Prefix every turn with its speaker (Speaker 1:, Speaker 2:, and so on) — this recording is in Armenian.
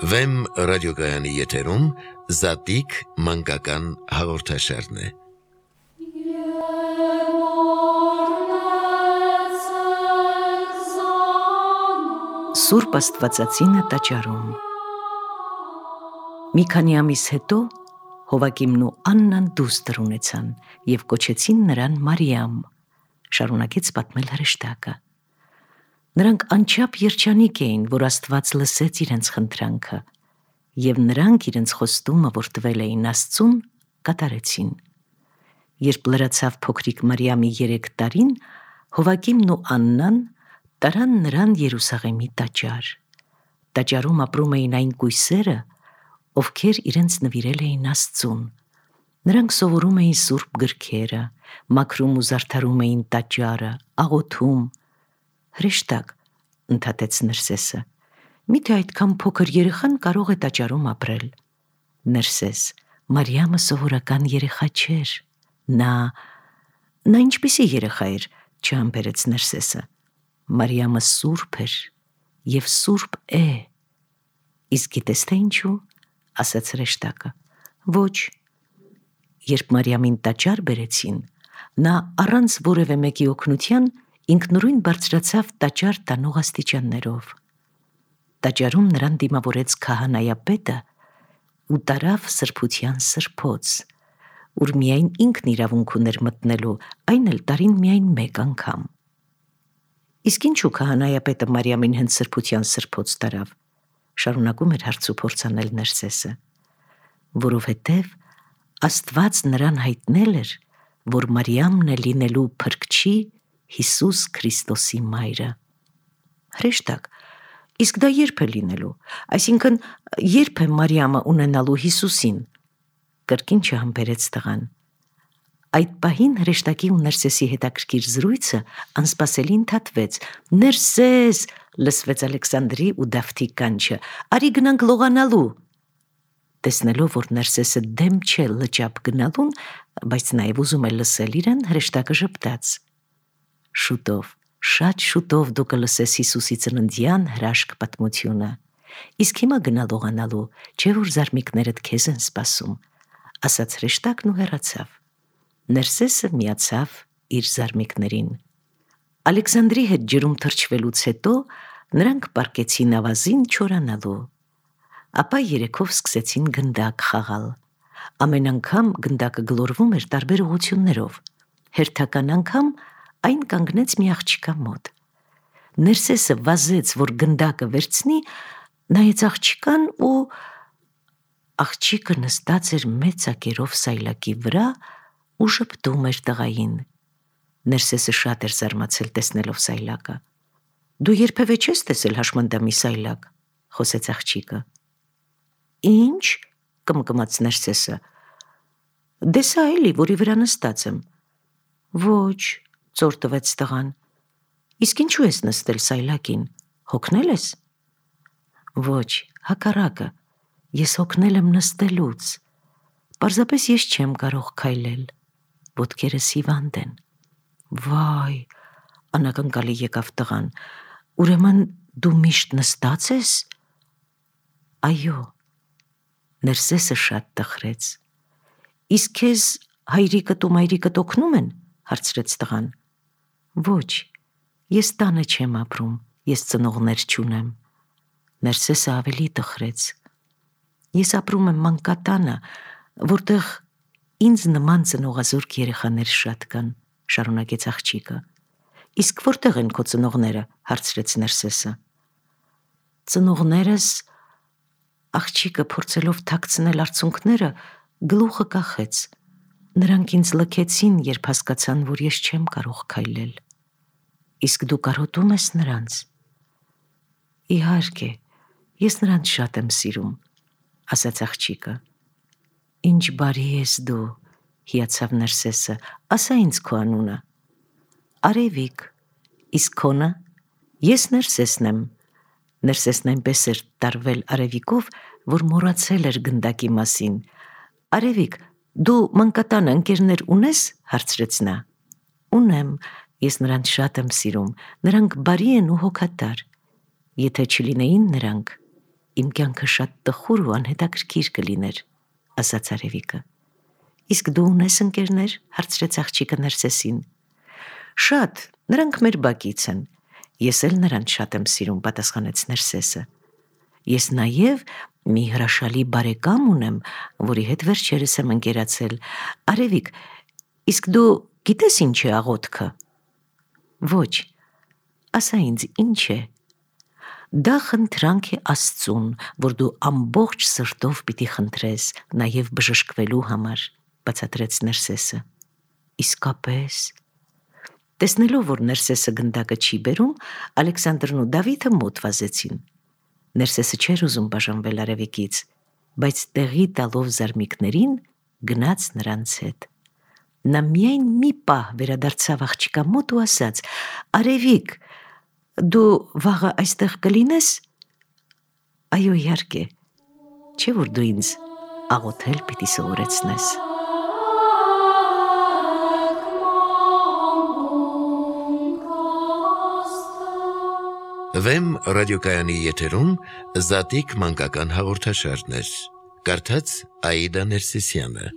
Speaker 1: Վեմ ռադիոգայանի եթերում Զատիկ մանկական հաղորդաշարն է։
Speaker 2: Սուրբ Աստվածածինը տաճարում։ Մի քանի ամիս հետո Հովակիմն ու Աննան դուստր ունեցան և կոչեցին նրան Մարիամ, շարունակեց պատմել հրեշտակը։ Նրանք անչափ երջանիկ էին, որ Աստված լսեց իրենց խնդրանքը, և նրանք իրենց խոստումը, որ տվել էին Աստծուն, կատարեցին։ Երբ լրացավ փոքրիկ Մարիամի 3 տարին, Հովակիմն ու Աննան տարան նրան Երուսաղեմի տաճար։ Տաճարում ապրում էին այն կույսերը, ովքեր իրենց նվիրել էին Աստծուն։ Նրանք սովորում էին սուրբ գրքերը, մաքրում ու զարդարում էին տաճարը, աղոթում։ Հրեշտակ, ընդհատեց Ներսեսը, միթե այդքան փոքր երեխան կարող է տաճարում ապրել։ Ներսես, Մարիամը սովորական երեխա չէր։ Նա ինչպիսի երեխա էր, չհամբերեց Ներսեսը։ Մարիամը սուրբ էր և սուրբ է։ Իսկ գիտես թե ինչու, ասաց հրեշտակը։ Ոչ։ Երբ Մարիամին տաճար բերեցին, նա առանց որևէ մեկի օգնության ինքնուրույն բարձրացավ տաճար տանող աստիճաններով։ Տաճարում նրան դիմավորեց քահանայապետը ու տարավ սրբության սրբոց, ուր միայն ինքն իրավունք ուներ մտնելու, այն էլ տարին միայն 1 անգամ։ Իսկ ինչու քահանայապետը Մարիամին հենց սրբության սրբոց տարավ, շարունակում էր հարցուփորձ անել Ներսեսը, որովհետև Աստված նրան հայտնել էր, որ Մարիամն է լինելու Փրկչի Հիսուս Քրիստոսի մայրը։ Հրեշտակ, իսկ դա երբ է լինելու, այսինքն երբ է Մարիամը ունենալու Հիսուսին, կրկին չհամբերեց տղան։ Այդ պահին հրեշտակի ու Ներսեսի հետաքրքիր զրույցը անսպասելի ընդհատվեց։ Ներսես, լսվեց Ալեքսանդրի ու Դավթի կանչը, արի գնանք լողանալու։ Տեսնելով, որ Ներսեսը դեմ չէ լճապ գնալուն, բայց նաև ուզում է լսել իրեն, հրեշտակը ժպտաց։ Շուտով, շատ շուտով դու կլսես Հիսուսի ծննդյան հրաշք պատմությունը։ Իսկ հիմա գնա լողանալու, չէ որ զարմիկներդ քեզ են սպասում, ասաց հրեշտակն ու հեռացավ։ Ներսեսը միացավ իր զարմիկներին։ Ալեքսանդրի հետ ջրում թռչվելուց հետո նրանք պառկեցին ավազին չորանալու։ Ապա երեքով սկսեցին գնդակ խաղալ։ Ամեն անգամ գնդակը գլորվում էր տարբեր ուղղություններով։ Հերթական անգամ այն կանգնեց մի աղջկա մոտ։ Ներսեսը վազեց, որ գնդակը վերցնի, նայեց աղջկան ու աղջիկը նստած էր մեծ ակերով սայլակի վրա ու ժպտում էր տղային։ Ներսեսը շատ էր զարմացել տեսնելով սայլակը։ Դու երբևէ չես տեսել հաշմանդամի սայլակ, խոսեց աղջիկը։ Ինչ, կմկմաց Ներսեսը, դե սա էլի, որի վրա նստած եմ։ Ոչ, ծոր տվեց տղան, իսկ ինչու ես նստել սայլակին, հոգնել ես։ Ոչ, հակառակը, ես հոգնել եմ նստելուց, պարզապես ես չեմ կարող քայլել, ոտքերս հիվանդ են։ Վայ, անակնկալի եկավ տղան, ուրեմն դու միշտ նստած ես։ Այո, Ներսեսը շատ տխրեց։ Իսկ քեզ հայրիկդ ու մայրիկդ օգնում են, հարցրեց տղան։ Ոչ, ես տանը չեմ ապրում, ես ծնողներ չունեմ։ Ներսեսը ավելի տխրեց։ Ես ապրում եմ մանկատանը, որտեղ ինձ նման ծնողազուրկ երեխաներ շատ կան, շարունակեց աղջիկը։ Իսկ որտեղ են քո ծնողները, հարցրեց Ներսեսը։ Ծնողներս, աղջիկը փորձելով թաքցնել արցունքները, գլուխը կախեց։ Նրանք ինձ լքեցին, երբ հասկացան, որ ես չեմ կարող քայլել։ Իսկ դու կարոտում ես նրանց։ Իհարկե, ես նրանց շատ եմ սիրում, ասաց աղջիկը։ Ինչ բարի ես դու, հիացավ Ներսեսը, ասա ինձ քո անունը։ Արևիկ, իսկ քոնը։ Ես Ներսեսն եմ։ Ներսեսն այնպես էր տարվել Արևիկով, որ մոռացել էր գնդակի մասին։ Արևիկ, դու մանկատան ընկերներ ունես, հարցրեց նա։ Ունեմ, ես նրանց շատ եմ սիրում, նրանք բարի են ու հոգատար։ Եթե չլինեին նրանք, Իմ կյանքը շատ տխուր ու անհետաքրքիր կլիներ, ասաց Արևիկը։ Իսկ դու ունես ընկերներ, հարցրեց աղջիկը Ներսեսին։ Շատ, նրանք մեր բակից են։ Ես էլ նրանց շատ եմ սիրում, պատասխանեց Ներսեսը։ Ես նաև մի հրաշալի բարեկամ ունեմ, որի հետ վերջերս եմ ընկերացել։ Արևիկ, իսկ դու գիտես ինչ է աղոթքը։ Ոչ, ասա ինձ ինչ է։ Դա խնդրանք է Աստծուն, որ դու ամբողջ սրտով պիտի խնդրես, նաև բժշկվելու համար, բացատրեց Ներսեսը։ Իսկապես։ Տեսնելով, որ Ներսեսը գնդակը չի բերում, Ալեքսանդրն ու Դավիթը մոտ վազեցին։ Ներսեսը չէր ուզում բաժանվել Արևիկից, բայց տեղի տալով զարմիկներին գնաց նրանց հետ։ Նա միայն մի պահ վերադարձավ աղջկա մոտ ու ասաց. Արևիկ, դու վաղը այստեղ կլինես։ Այո, իհարկե, չէ՞ որ դու ինձ աղոթել պիտի սովորեցնես։
Speaker 1: Վեմ ռադիոկայանի եթերում Զատիկ մանկական հաղորդաշարներ։ Կարդաց Աիդա Ներսիսյանը։